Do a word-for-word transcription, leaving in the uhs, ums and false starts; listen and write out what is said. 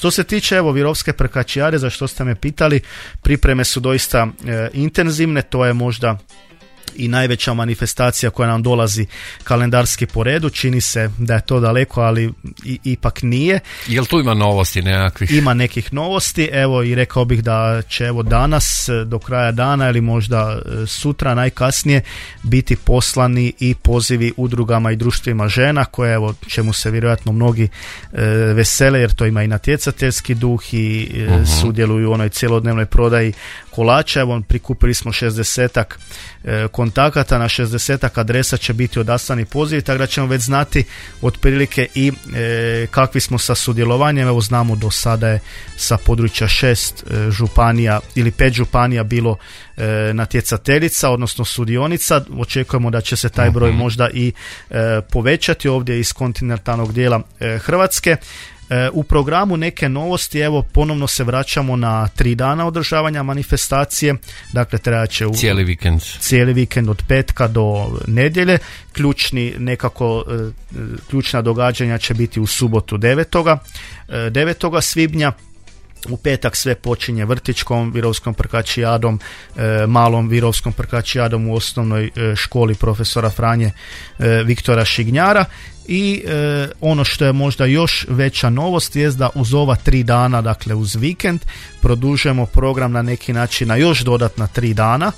Što se tiče evo Virovske prkačijade, za što ste me pitali, pripreme su doista e, intenzivne, to je možda i najveća manifestacija koja nam dolazi kalendarski po redu. Čini se da je to daleko, ali i, ipak nije. Jel tu ima novosti nekakvih? Ima nekih novosti, evo i rekao bih da će evo danas do kraja dana ili možda sutra najkasnije biti poslani i pozivi udrugama i društvima žena koje evo čemu se vjerojatno mnogi e, vesele jer to ima i natjecateljski duh i e, uh-huh. sudjeluju u onoj cjelodnevnoj prodaji kolača. Evo prikupili smo šezdesetak e, kontakata, na šezdesetak adresa će biti odaslani pozivi, tako da ćemo već znati otprilike i e, kakvi smo sa sudjelovanjem. Evo znamo do sada je sa područja šest e, županija ili pet županija bilo e, natjecateljica, odnosno sudionica. Očekujemo da će se taj broj možda i e, povećati ovdje iz kontinentalnog dijela e, Hrvatske. U programu neke novosti, evo ponovno se vraćamo na tri dana održavanja manifestacije, dakle trebat će u cijeli vikend. cijeli vikend od petka do nedjelje. Ključni nekako ključna događanja će biti u subotu devetoga svibnja. U petak sve počinje vrtićkom Virovskom prkačijadom, e, malom Virovskom prkačijadom u osnovnoj e, školi profesora Franje e, Viktora Šignjara. I e, ono što je možda još veća novost je da uz ova tri dana, dakle uz vikend, produžujemo program na neki način na još dodatna tri dana.